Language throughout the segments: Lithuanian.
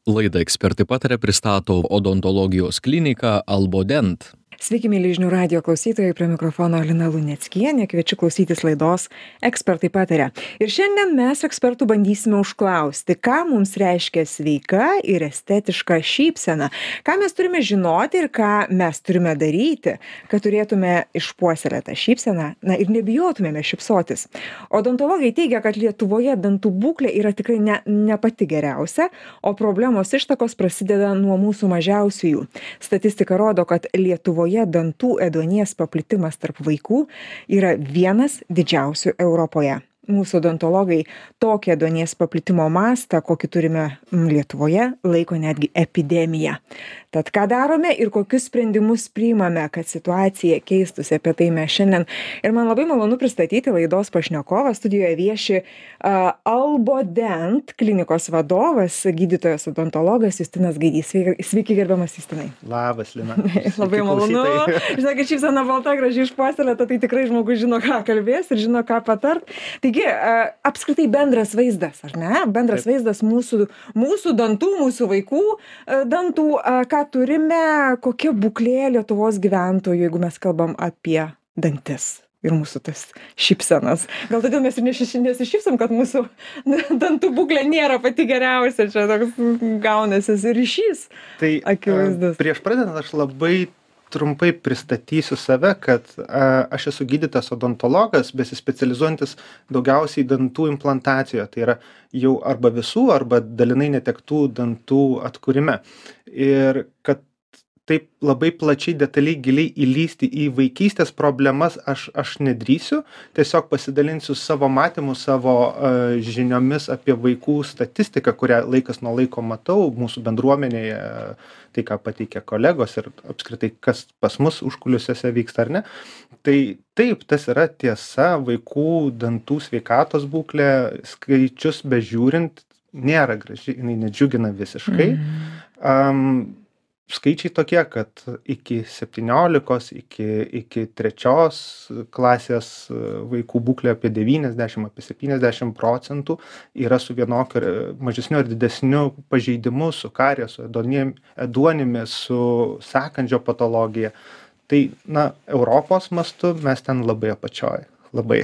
Laidą Ekspertai pataria pristato odontologijos klinika Albodent. Sveiki, mėly žinių radijo klausytojai, prie mikrofono Lina Luneckienė, kviečiu klausytis laidos Ekspertai pataria. Ir šiandien mes ekspertų bandysime užklausti, ką mums reiškia sveika ir estetiška šypsena, ką mes turime žinoti ir ką mes turime daryti, kad turėtume išpuoselėtą šypseną, ir nebijotumėme šypsotis. Odontologai teigia, kad Lietuvoje dantų būklė yra tikrai ne pati geriausia, o problemos ištakos prasideda nuo mūsų mažiausiųjų. Statistika rodo, kad Lietuvoje dantų ėduonies paplitimas tarp vaikų yra vienas didžiausių Europoje. Mūsų odontologai tokį ėduonies paplitimo mastą, kokį turime Lietuvoje, laiko netgi epidemija. Tad ką darome ir kokius sprendimus priimame, kad situacija keistųsi, apie tai mes šiandien. Ir man labai malonu pristatyti laidos pašnekovą. Studijoje vieši Albodent klinikos vadovas, gydytojas odontologas Justinas Gaidys. Sveiki, gerbiamas Justinai. Labas, Lina. Labai malonu. Žinokit, šypsena balta, gražiai išpuoselėta, tai tikrai žmogus žino, ką kalbės ir žino, ką patart. Taigi, apskritai bendras vaizdas, ar ne? Bendras vaizdas mūsų dantų, mūsų vaikų dantų, ką turime, kokia būklė Lietuvos gyventojų, jeigu mes kalbam apie dantis ir mūsų tas šypsenas. Gal todėl mes ir nesišypsom, kad mūsų dantų būklė nėra pati geriausia, čia toks gaunasi ryšys akivaizdus. Prieš pradedant aš labai trumpai pristatysiu save, kad aš esu gydytojas odontologas, besispecializuojantis daugiausiai dantų implantacijoje. Tai yra jau arba visų, arba dalinai netektų dantų atkūrime. Ir kad taip labai plačiai, detaliai, giliai įlįsti į vaikystės problemas aš nedrįsiu. Tiesiog pasidalinsiu savo matymu, savo žiniomis apie vaikų statistiką, kurią laikas nuo laiko matau mūsų bendruomenėje, tai ką pateikia kolegos ir apskritai kas pas mus užkulisiuose vyksta ar ne. Tai taip, tas yra tiesa, vaikų dantų sveikatos būklė, skaičius bežiūrint, nėra graži, jinai nedžiugina visiškai. Skaičiai tokie, kad iki 17, iki 3 klasės vaikų būklė apie 90, apie 70% yra su vienokiu mažesniu ar didesniu pažeidimu, su kariesu, ėduonimi, su sąkandžio patologija. Tai, Europos mastu mes ten labai apačioj. Labai.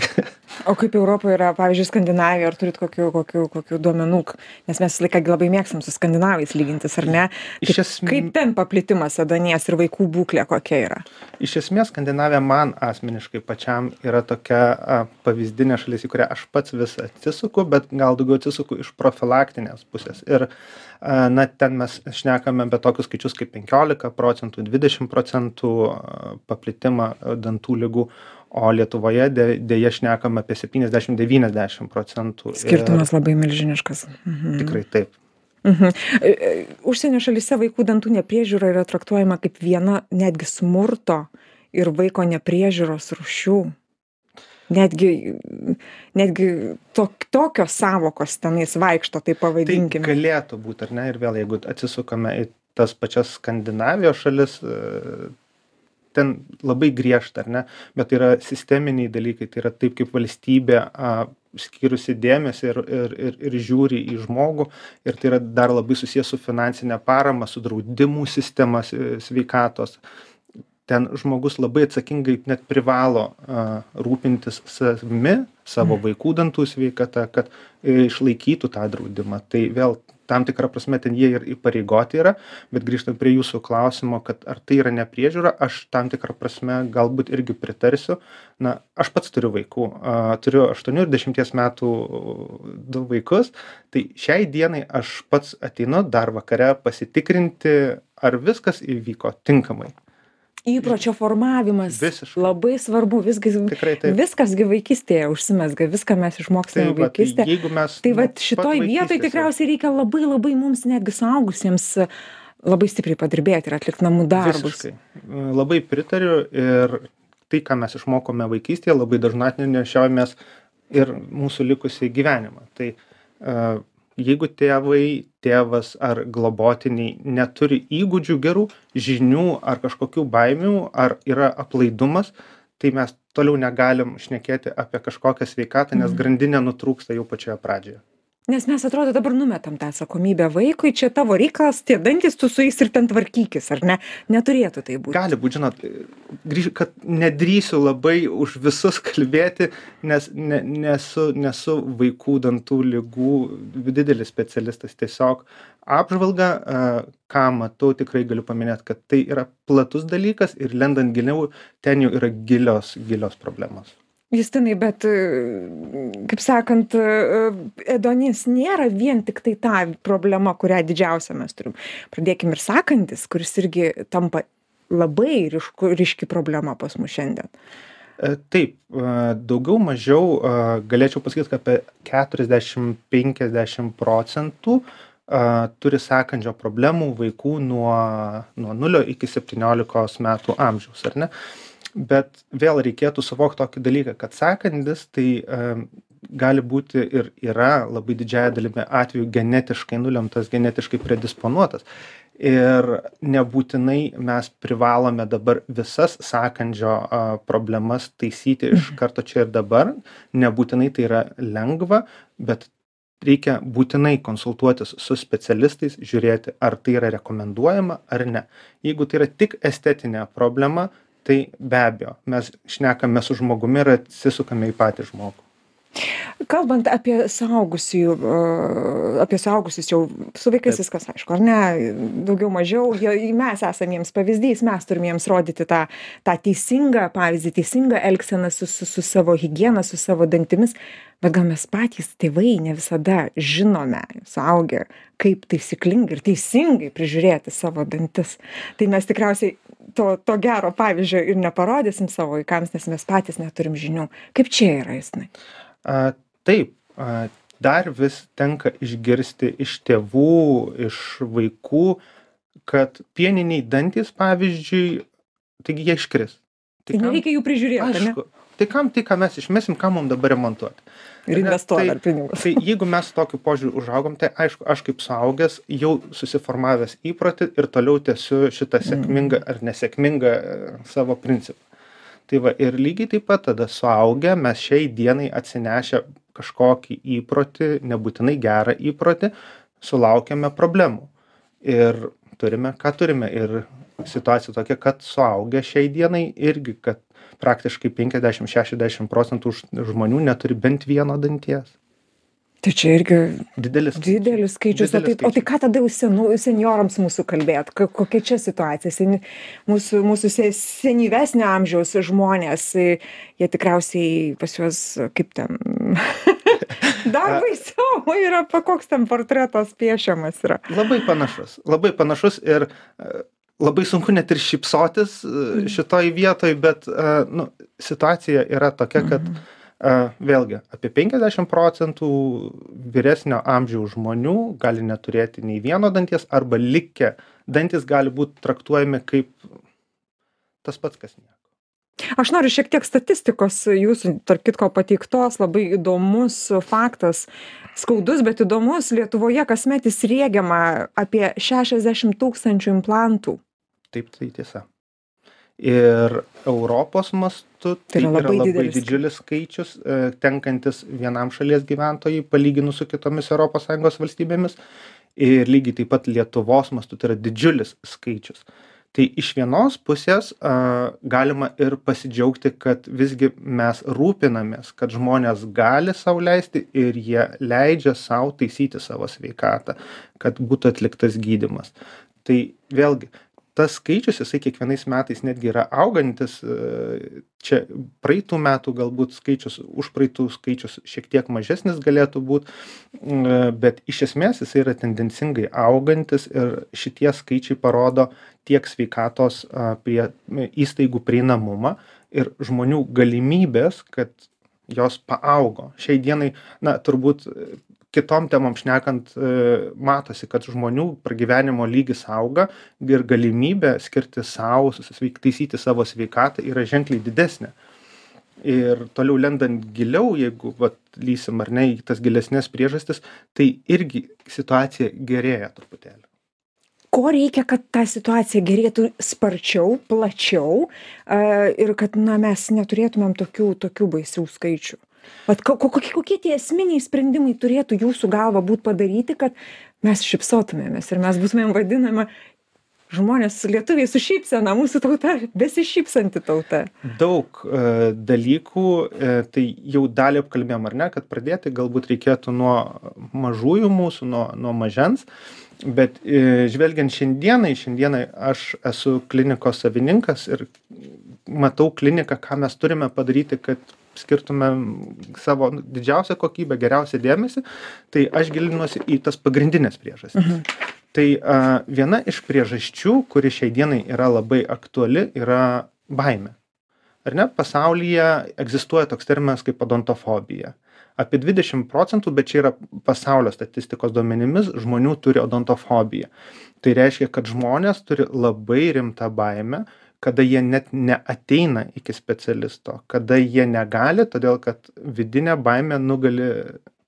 O kaip Europoje yra, pavyzdžiui, Skandinavija, ar turit kokių duomenų? Nes mes visą laiką labai mėgstam su skandinavais lygintis, ar ne? Kaip ten paplitimas ėduonies ir vaikų būklė kokia yra? Iš esmės, Skandinavija man asmeniškai pačiam yra tokia pavyzdinė šalis, į kurią aš pats vis atsisuku, bet gal daugiau atsisuku iš profilaktinės pusės. Ir ten mes šnekame apie tokius skaičius kaip 15%, 20% paplitimą dantų ligų, o Lietuvoje dėja šnekam apie 70-90%. Skirtumas labai milžiniškas. Tikrai taip. Užsienio šalyse vaikų dantų nepriežiūra yra traktuojama kaip viena netgi smurto ir vaiko nepriežiūros rūšių. Netgi tokios savokos tenais vaikšto, tai pavadinkime. Tai galėtų būti, ar ne? Ir vėl, jeigu atsisukame į tas pačias Skandinavijos šalis, ten labai griežta, ar ne? Bet tai yra sisteminiai dalykai, tai yra taip, kaip valstybė skyrusi dėmesį ir žiūri į žmogų. Ir tai yra dar labai susijęs su finansinė parama, su draudimų sistema sveikatos. Ten žmogus labai atsakingai net privalo rūpintis savimi, savo vaikų dantų sveikata, kad išlaikytų tą draudimą. Tai vėl tam tikrą prasme ten jie ir įpareigoti yra, bet grįžtant prie jūsų klausimo, kad ar tai yra nepriežiūra, aš tam tikrą prasme galbūt irgi pritarsiu. Aš pats turiu vaikų, turiu 8 ir 10 metų 2 vaikus, tai šiai dienai aš pats ateinu dar vakare pasitikrinti, ar viskas įvyko tinkamai. Įpročio formavimas labai svarbu, viskasgi vaikystėje užsimezga, viską mes išmokstame vaikystėje. Tai šitoj vietoj tikriausiai reikia labai mums netgi suaugusiems labai stipriai padirbėti ir atlikti namų darbus. Visiškai. Labai pritariu ir tai, ką mes išmokome vaikystėje, labai dažnai nešiojamės ir mūsų likusį gyvenimą. Tai jeigu tėvas ar globotiniai neturi įgūdžių gerų, žinių ar kažkokių baimių, ar yra aplaidumas, tai mes toliau negalim šnekėti apie kažkokią sveikatą, nes grandinė nutrūksta jau pačioje pradžioje. Nes mes atrodo dabar numetam tą atsakomybę vaikui, čia tavo reikalas, tie dantys, tu su jais ir ten tvarkykis, ar ne? Neturėtų tai būti. Gali būti, žinot, kad nedrįsiu labai už visus kalbėti, nes nesu vaikų dantų ligų didelis specialistas. Tiesiog apžvalga, ką matau, tikrai galiu paminėti, kad tai yra platus dalykas ir lendant giliau, ten jau yra gilios problemos. Justinai, bet, kaip sakant, ėduonis nėra vien tik tai ta problema, kurią didžiausią mes turim. Pradėkim ir sąkandis, kuris irgi tampa labai ryški problema pas mus šiandien. Taip, daugiau mažiau galėčiau pasakyti, kad apie 40-50% turi sąkandžio problemų vaikų nuo 0 iki 17 metų amžiaus, ar ne? Bet vėl reikėtų suvokti tokį dalyką, kad sąkandis tai gali būti ir yra labai didžiąja dalimi atveju genetiškai nulemtas, genetiškai predisponuotas. Ir nebūtinai mes privalome dabar visas sąkandžio problemas taisyti iš karto čia ir dabar. Nebūtinai tai yra lengva, bet reikia būtinai konsultuotis su specialistais, žiūrėti, ar tai yra rekomenduojama ar ne. Jeigu tai yra tik estetinė problema, tai be abejo, mes šnekame su žmogumi ir atsisukame į patį žmogų. Kalbant apie suaugusius jau, su vaikais viskas aišku, ar ne, daugiau mažiau, mes esame jiems pavyzdys, mes turime jiems rodyti tą teisingą pavyzdį, teisingą elgseną su savo higiena, su savo dantimis, bet gal mes patys tėvai ne visada žinome, suaugę, kaip taisyklingai ir teisingai prižiūrėti savo dantis. Tai mes tikriausiai to gero pavyzdžio ir neparodysim savo vaikams, nes mes patys neturim žinių. Kaip čia yra, Justinai? Taip, dar vis tenka išgirsti iš tėvų, iš vaikų, kad pieniniai dantys, pavyzdžiui, taigi jie iškris. Tai nereikia jų prižiūrėti, ne? Aišku, tai ką mes išmesim, ką mums dabar remontuoti. Ir investuoti dar pinigus. Tai jeigu mes tokiu požiūriu užaugom, tai aišku, aš kaip suaugęs jau susiformavęs įprotį ir toliau tęsiu šitą sėkmingą ar nesėkmingą savo principą. Tai va, ir lygiai taip pat tada suaugę mes šiai dienai atsinešę kažkokį įprotį, nebūtinai gerą įprotį, sulaukiame problemų. Ir turime, ką turime. Ir situacija tokia, kad suaugę šiai dienai irgi, kad praktiškai 50-60% žmonių neturi bent vieno danties. Tai čia irgi didelis skaičius. O tai ką tada seniorams mūsų kalbėt? Kokia čia situacija? Mūsų senyvesnio amžiaus žmonės, jie tikriausiai pas juos kaip ten dar baisiau yra, koks ten portretas piešiamas yra. Labai panašus ir labai sunku net ir šypsotis šitoj vietoj, bet situacija yra tokia, kad vėlgi apie 50% vyresnio amžiaus žmonių gali neturėti nei vieno danties arba likę dantis gali būti traktuojami kaip tas pats, kas nieko. Aš noriu šiek tiek statistikos jūsų, tarp kitko, pateiktos, labai įdomus faktas, skaudus, bet įdomus. Lietuvoje kasmet įsriegiama apie 60 000 implantų. Taip, tai tiesa. Ir Europos mastu tai yra labai didžiulis skaičius, tenkantis vienam šalies gyventojai palyginus su kitomis ES valstybėmis. Ir lygiai taip pat Lietuvos mastu tai yra didžiulis skaičius. Tai iš vienos pusės galima ir pasidžiaugti, kad visgi mes rūpinamės, kad žmonės gali sau leisti ir jie leidžia sau taisyti savo sveikatą, kad būtų atliktas gydymas. Tai vėlgi, tas skaičius, jisai kiekvienais metais netgi yra augantis, čia praeitų metų galbūt skaičius, už praeitų skaičius šiek tiek mažesnis galėtų būti, bet iš esmės jisai yra tendencingai augantis ir šitie skaičiai parodo tiek sveikatos įstaigų prieinamumą ir žmonių galimybės, kad jos paaugo. Šiai dienai, turbūt kitom temom šnekant, matosi, kad žmonių pragyvenimo lygis auga ir galimybė skirti savo, taisyti savo sveikatą yra ženkliai didesnė. Ir toliau lendant giliau, jeigu lysim ar ne į tas gilesnės priežastis, tai irgi situacija gerėja truputėlį. Ko reikia, kad ta situacija gerėtų sparčiau, plačiau ir kad mes neturėtumėm tokių baisių skaičių? Vat kokie tie esminiai sprendimai turėtų jūsų galva būt padaryti, kad mes šypsotumėmės ir mes būtumėm vadinama žmonės, lietuviai su šypsena, mūsų tauta, besišypsanti tauta. Daug dalykų, tai jau dalį apkalbėjom, ar ne, kad pradėti galbūt reikėtų nuo mažųjų mūsų, nuo mažens, bet žvelgiant šiandienai aš esu klinikos savininkas ir matau kliniką, ką mes turime padaryti, kad skirtume savo didžiausią kokybę, geriausią dėmesį, tai aš gilinuosi į tas pagrindinės priežastis. Tai viena iš priežasčių, kuri šiai dienai yra labai aktuali, yra baimė. Ar ne? Pasaulyje egzistuoja toks terminas kaip odontofobija. Apie 20%, bet čia yra pasaulio statistikos duomenimis, žmonių turi odontofobiją. Tai reiškia, kad žmonės turi labai rimtą baimę, kada jie net neateina iki specialisto, kada jie negali, todėl kad vidinė baimė nugali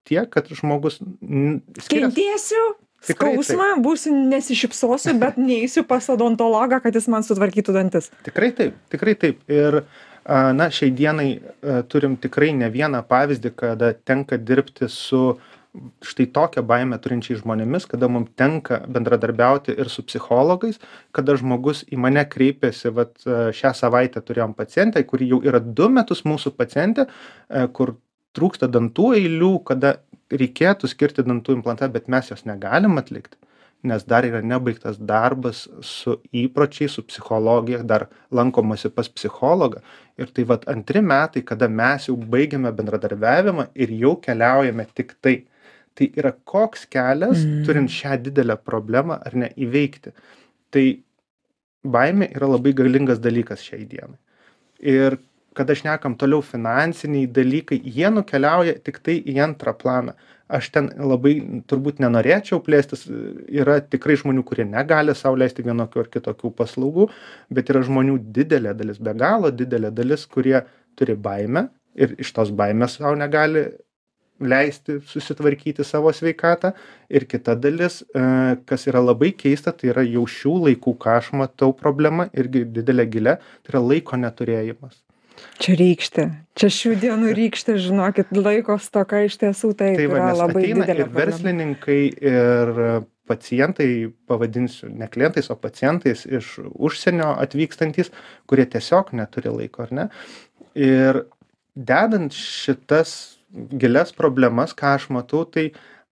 tiek, kad žmogus Kentėsiu skausmą, būsiu nesišypsosiu, bet neįsiu pas odontologą, kad jis man sutvarkytų dantis. Tikrai taip. Ir šiai dienai turim tikrai ne vieną pavyzdį, kada tenka dirbti su štai tokią baimę turinčiais žmonėmis, kada mums tenka bendradarbiauti ir su psichologais, kada žmogus į mane kreipėsi, šią savaitę turėjom pacientę, kuri jau yra 2 metus mūsų pacientė, kur trūksta dantų eilių, kada reikėtų skirti dantų implantą, bet mes jos negalim atlikti, nes dar yra nebaigtas darbas su įpročiais, su psichologija, dar lankomasi pas psichologą. Ir tai 2 metai, kada mes jau baigiame bendradarbiavimą ir jau keliaujame tik tai. Tai yra koks kelias, turint šią didelę problemą ar ne įveikti. Tai baimė yra labai galingas dalykas šiai dienai. Ir kada šnekam toliau finansiniai dalykai, jie nukeliauja tik tai į antrą planą. Aš ten labai turbūt nenorėčiau plėstis, yra tikrai žmonių, kurie negali sau leisti vienokių ar kitokių paslaugų, bet yra žmonių didelė dalis, be galo didelė dalis, kurie turi baimę ir iš tos baimės sau negali leisti susitvarkyti savo sveikatą. Ir kita dalis, kas yra labai keista, tai yra jau šių laikų, ką aš matau problema, irgi didelė gilė, tai yra laiko neturėjimas. Čia rykštė. Čia šių dienų rykštė, žinokit, laiko stoka iš tiesų tai yra labai didelė ir verslininkai, ir pacientai, pavadinsiu ne klientais, o pacientais iš užsienio atvykstantys, kurie tiesiog neturi laiko, ar ne? Ir dedant šitas gilias problemas, ką aš matau, tai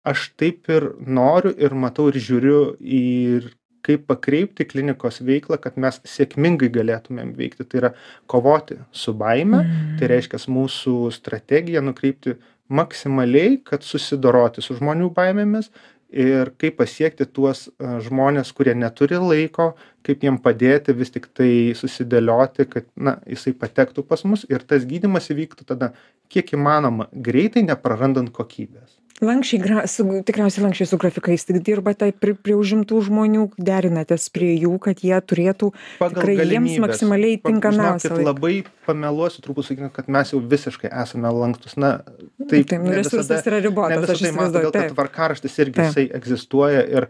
aš taip ir noriu ir matau ir žiūriu ir kaip pakreipti klinikos veiklą, kad mes sėkmingai galėtumėm veikti. Tai yra kovoti su baime, tai reiškia mūsų strategiją nukreipti maksimaliai, kad susidoroti su žmonių baimėmis ir kaip pasiekti tuos žmonės, kurie neturi laiko, kaip jiem padėti vis tik tai susidėlioti, kad jisai patektų pas mus ir tas gydymas įvyktų tada kiek įmanoma greitai, neprarandant kokybės. Tikriausiai lankščiai su grafikais dirbate prie užimtų žmonių, derinatės prie jų, kad jie turėtų tikrai jiems maksimaliai tinkamiausią laiką. Labai pameluosiu, turbūt sakyti, kad mes jau visiškai esame lankstus. Taip, resursas yra ribotas, aš įsivaizduoju. Todėl, kad tvarkaraštis irgi jisai egzistuoja ir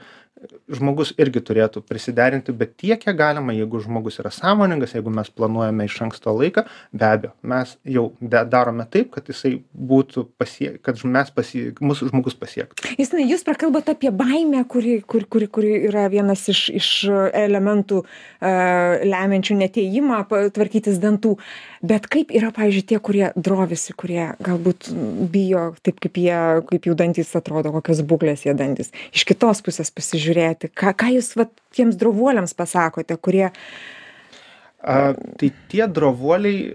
žmogus irgi turėtų prisiderinti, bet tiek, kiek galima, jeigu žmogus yra sąmoningas, jeigu mes planuojame iš anksto laiką, be abejo, mes jau darome taip, kad jisai būtų kad mūsų žmogus pasiektų. Justinai, jūs prakalbate apie baimę, kuri yra vienas iš elementų lemiančių neatėjimą tvarkytis dantų. Bet kaip yra, pavyzdžiui, tie, kurie drovisi, kurie galbūt bijo, taip kaip jų dantys atrodo, kokios būklės jie dantys. Iš kitos pusės pasižiūrėti, ką jūs tiems drovuoliams pasakote, kurie... Tai tie drovuoliai,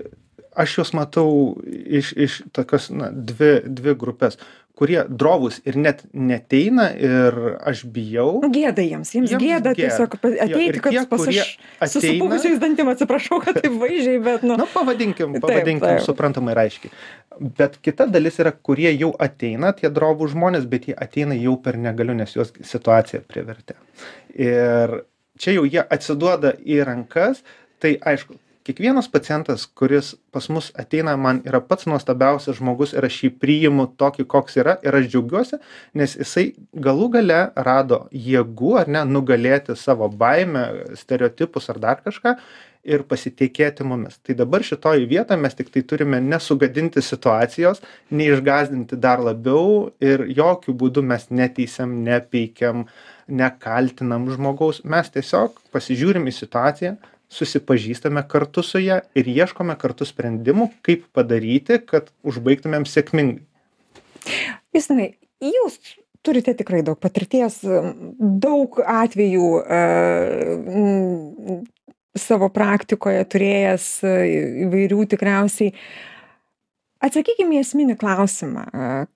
aš juos matau iš tokios dvi grupės, kurie drovūs ir net neteina ir aš bijau. Gėda jiems gėda tiesiog ateiti, kad pas aš susipuvusiais dantim, atsiprašau, kad taip vaizdžiai, bet pavadinkim suprantamai ir aiškiai. Bet kita dalis yra, kurie jau ateina, tie drovūs žmonės, bet jie ateina jau per negaliu, nes juos situacija privertė. Ir čia jau jie atsiduoda į rankas, tai aišku, kiekvienas pacientas, kuris pas mus ateina, man yra pats nuostabiausias žmogus ir aš jį priimu tokį, koks yra ir aš džiaugiuosi, nes jisai galų gale rado jėgų, ar ne, nugalėti savo baimę, stereotipus ar dar kažką ir pasitikėti mumis. Tai dabar šitoje vietoje mes tik tai turime nesugadinti situacijos, neišgazdinti dar labiau ir jokių būdų mes neteisiam, nepeikiam, nekaltinam žmogaus. Mes tiesiog pasižiūrim į situaciją, susipažįstame kartu su ja ir ieškome kartu sprendimų, kaip padaryti, kad užbaigtumėm sėkmingai. Justinai, jūs turite tikrai daug patirties, daug atvejų savo praktikoje turėjęs įvairių tikriausiai. Atsakykime į esminį klausimą,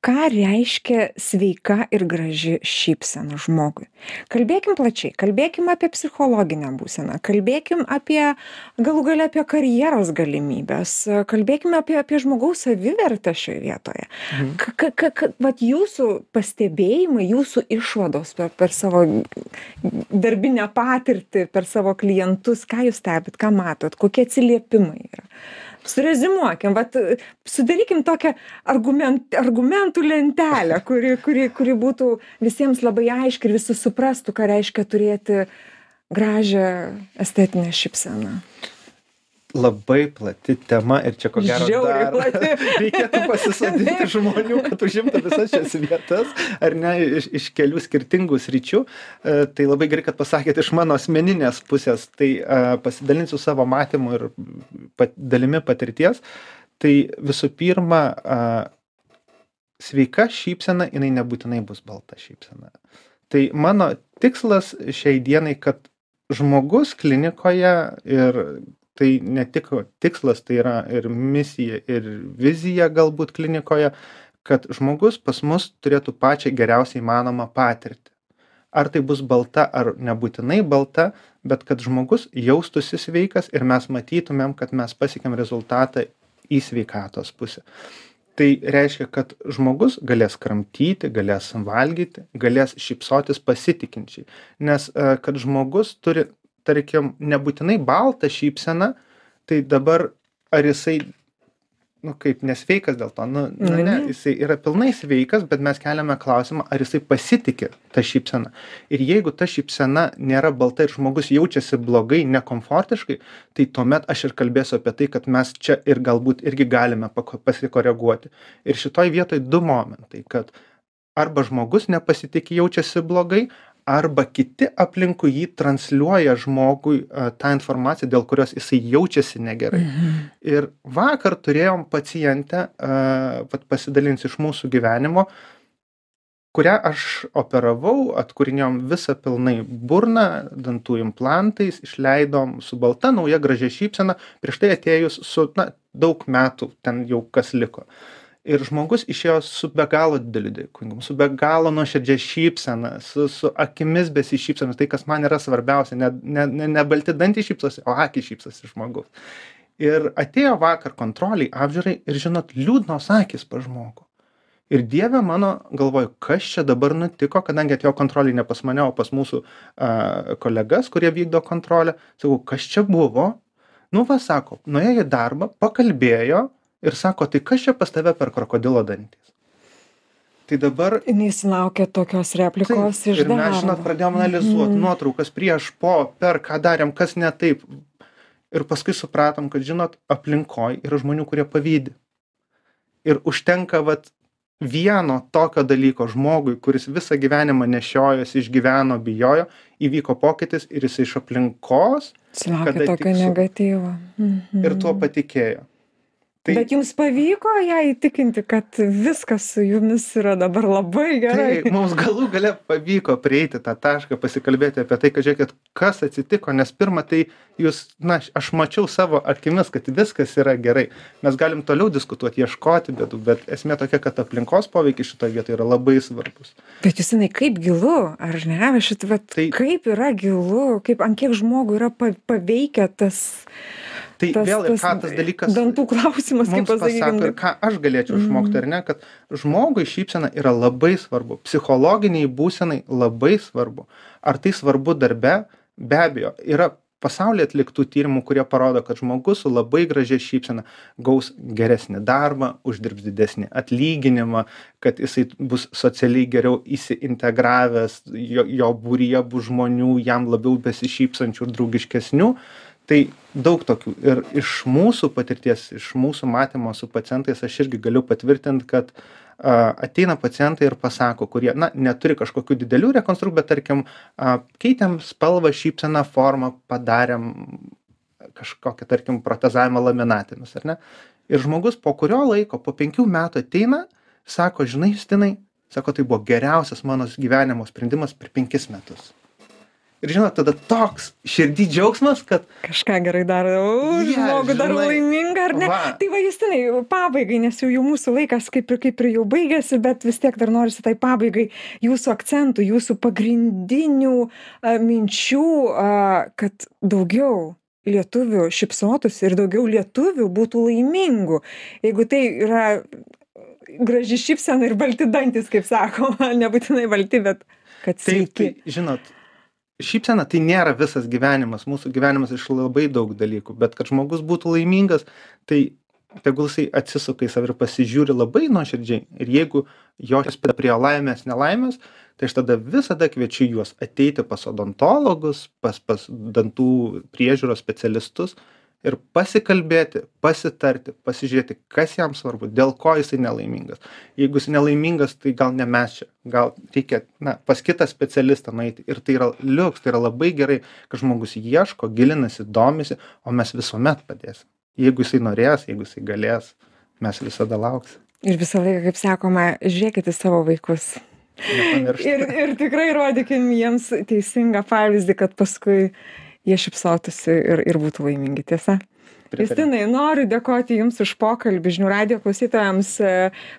ką reiškia sveika ir graži šypsena žmogui. Kalbėkim plačiai, kalbėkim apie psichologinę būseną, kalbėkim apie galų gale apie karjeros galimybės, kalbėkim apie žmogaus savivertę šioje vietoje. Vat jūsų pastebėjimai, jūsų išvados per savo darbinę patirtį, per savo klientus, ką jūs stebit, ką matot, kokie atsiliepimai yra. Surezimuokim, vat sudarykim tokią argumentų lentelę, kuri būtų visiems labai aiški ir visi suprastų, ką reiškia turėti gražią estetinę šypseną. Labai plati tema ir čia ko gero dar reikėtų pasisodinti žmonių, kad užimtų visas šias vietas, ar ne, iš kelių skirtingų sričių. Tai labai gerai, kad pasakėte iš mano asmeninės pusės, tai pasidalinsiu savo matymu ir dalimi patirties. Tai visų pirma, sveika šypsena, jinai nebūtinai bus balta šypsena. Tai mano tikslas šiai dienai, kad žmogus klinikoje ir tai ne tik tikslas, tai yra ir misija, ir vizija galbūt klinikoje, kad žmogus pas mus turėtų pačią geriausiai įmanomą patirtį. Ar tai bus balta, ar nebūtinai balta, bet kad žmogus jaustųsi sveikas ir mes matytumėm, kad mes pasiekėm rezultatą į sveikatos pusę. Tai reiškia, kad žmogus galės kramtyti, galės valgyti, galės šypsotis pasitikinčiai. Nes kad žmogus turi, tarkim, nebūtinai baltą šypseną, tai dabar ar jisai, kaip nesveikas dėl to, ne, jisai yra pilnai sveikas, bet mes keliame klausimą, ar jisai pasitiki tą šypseną. Ir jeigu ta šypsena nėra balta ir žmogus jaučiasi blogai, nekomfortiškai, tai tuomet aš ir kalbėsiu apie tai, kad mes čia ir galbūt irgi galime pasikoreguoti. Ir šitoj vietoj du momentai, kad arba žmogus nepasitikė, jaučiasi blogai, arba kiti aplinkui jį transliuoja žmogui tą informaciją, dėl kurios jisai jaučiasi negerai. Ir vakar turėjom pacientę, pasidalinsiu iš mūsų gyvenimo, kurią aš operavau, atkūrinėjom visą pilnai burną, dantų implantais, išleidom su balta, nauja, gražia šypsena, prieš tai atėjus su, daug metų ten jau kas liko. Ir žmogus išėjo su be galo dideliu dėkingumu, su be galo nuoširdžia šypsena, su akimis besišypsomis, tai kas man yra svarbiausia, ne balti dantys šypsosi, o akys šypsosi žmogus. Ir atėjo vakar kontroliai, apžiūrai ir žinot, liūdnos akys pas žmogų. Ir Dieve mano, galvoju, kas čia dabar nutiko, kadangi atėjo kontroliai ne pas mane, o pas mūsų kolegas, kurie vykdo kontrolę. Sakau, kas čia buvo? Sako, nuėjo į darbą, pakalbėjo, ir sako, tai kas čia pas tave per krokodilo dantys? Tai dabar... Jis laukia tokios replikos iš darbo. Ir mes, žinot, pradėjom analizuoti nuotraukas prieš, po, per, ką darėm, kas ne taip. Ir paskui supratom, kad, žinot, aplinkoj yra žmonių, kurie pavydi. Ir užtenka, vieno tokio dalyko žmogui, kuris visą gyvenimą nešiojosi, išgyveno, bijojo, įvyko pokytis ir jis iš aplinkos... Sulaukė tokio negatyvo. Ir tuo patikėjo. Bet jums pavyko ją įtikinti, kad viskas su jumis yra dabar labai gerai. Tai mums galų gale pavyko prieiti tą tašką, pasikalbėti apie tai, kad žiūrėkit, kas atsitiko, nes pirmą tai jūs, aš mačiau savo akimis, kad viskas yra gerai. Mes galim toliau diskutuoti, ieškoti bėdų, bet esmė tokia, kad aplinkos poveikis šitoje vietoje yra labai svarbus. Bet Justinai, kaip gilu, ar ne? Kaip yra gilu, ant kiek žmogų yra paveikia tas... Tai vėl ir ką tas dalykas dantų klausimas, kaip pasakykime. Ir ką aš galėčiau išmokti, ar ne, kad žmogui šypsena yra labai svarbu, psichologiniai būsenai labai svarbu. Ar tai svarbu darbe? Be abejo, yra pasaulyje atliktų tyrimų, kurie parodo, kad žmogus su labai gražia šypsena gaus geresnį darbą, uždirbs didesnį atlyginimą, kad jisai bus socialiai geriau įsiintegravęs, jo būryje bus žmonių, jam labiau besišypsančių ir draugiškesnių. Tai daug tokių. Ir iš mūsų patirties, iš mūsų matymo su pacientais aš irgi galiu patvirtinti, kad ateina pacientai ir pasako, kurie, neturi kažkokių didelių rekonstrukcijų, bet tarkim, keitėm spalvą, šypseną, formą, padarėm kažkokią, tarkim, protezavimą laminatinius, ar ne? Ir žmogus po kurio laiko, po 5 metų ateina, sako, žinai, Justinai, sako, tai buvo geriausias mano gyvenimo sprendimas per 5 metus. Ir žinot, tada toks širdį džiaugsmas, kad kažką gerai daro, žmogų daro laimingą, ar ne? Va. Tai va, Justinai, pabaigai, nes jau mūsų laikas kaip ir jau baigėsi, bet vis tiek dar norisi tai pabaigai jūsų akcentų, jūsų pagrindinių minčių, kad daugiau lietuvių šypsotųsi ir daugiau lietuvių būtų laimingų. Jeigu tai yra graži šypsena ir balti dantis, kaip sakoma, nebūtinai balti, bet kad sveiki. Tai, žinot, šypsena tai nėra visas gyvenimas, mūsų gyvenimas iš labai daug dalykų, bet kad žmogus būtų laimingas, tai tegul jisai atsisuka į save ir pasižiūri labai nuoširdžiai. Ir jeigu jo spėda prie laimės, nelaimės, tai aš tada visada kviečiu juos ateiti pas odontologus, pas dantų priežiūros specialistus ir pasikalbėti, pasitarti, pasižiūrėti, kas jam svarbu, dėl ko jisai nelaimingas. Jeigu jis nelaimingas, tai gal ne mes čia, gal reikia pas kitą specialistą nueiti. Ir tai yra liuks, tai yra labai gerai, kad žmogus ieško, gilinasi, domisi, o mes visuomet padėsim. Jeigu jisai norės, jeigu jisai galės, mes visada lauksim. Ir visą laiką, kaip sakoma, žiūrėkite savo vaikus. Ir tikrai rodykim jiems teisingą pavyzdį, kad paskui jie šypsotųsi ir būtų laimingi, tiesa? Justinai, noriu dėkoti Jums už pokalbį. Žinių radijo klausytojams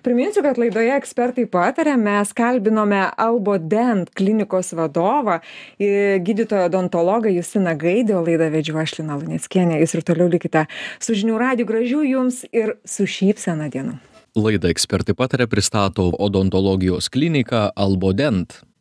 priminsiu, kad laidoje Ekspertai pataria mes kalbinome Albodent klinikos vadovą, gydytoją odontologą Justiną Gaidį, o laidą vedžiau aš Lina Luneckienė. Jūs ir toliau likite su Žinių radiju. Gražių Jums ir su šypsena dienų. Laidą Ekspertai pataria pristato odontologijos klinika Albodent.